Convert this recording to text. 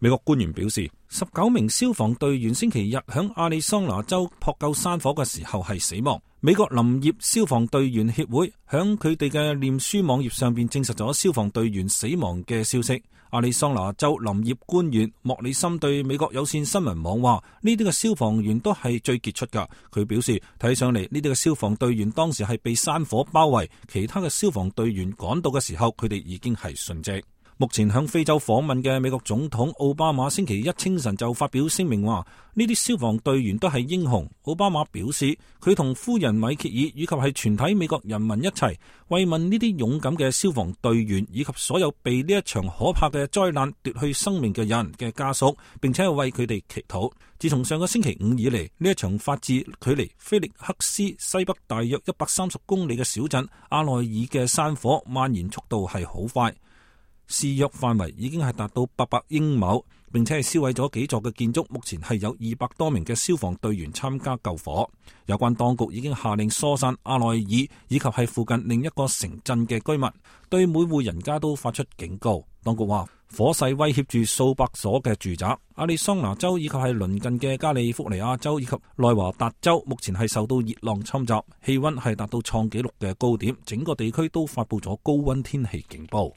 美國官員表示，19名消防隊員星期日響亞利桑那州撲救山火嘅時候係死亡。美國林業消防隊員協會響佢哋嘅臉書網頁上邊證實咗消防隊員死亡嘅消息。亞利桑那州林業官員莫里森對美國有線新聞網話：呢啲嘅消防員都係最傑出噶。佢表示睇上嚟呢啲嘅消防隊員當時係被山火包圍，其他嘅消防隊員趕到嘅時候，佢哋已經係殉職。目前向非洲訪問嘅美國總統奧巴馬星期一清晨就發表聲明話，呢啲消防隊員都係英雄。奧巴馬表示，佢同夫人米歇爾以及係全體美國人民一齊慰問呢啲勇敢嘅消防隊員以及所有被呢一場可怕嘅災難奪去生命嘅人嘅家屬，並且係為佢哋祈禱。自從上個星期五以嚟，呢一場發自距離菲力克斯西北大約130公里嘅小鎮阿內爾嘅山火蔓延速度係好快。肆虐範圍已經係達到800英畝，並且係燒毀咗幾座嘅建築。目前係有200多名嘅消防隊員參加救火。有關當局已經下令疏散阿內爾以及係附近另一個城鎮嘅居民，對每戶人家都發出警告。當局話，火勢威脅住數百所嘅住宅。亞利桑那州以及係鄰近嘅加利福尼亞州以及內華達州目前係受到熱浪侵襲，氣溫係達到創紀錄嘅高點，整個地區都發佈咗高溫天氣警報。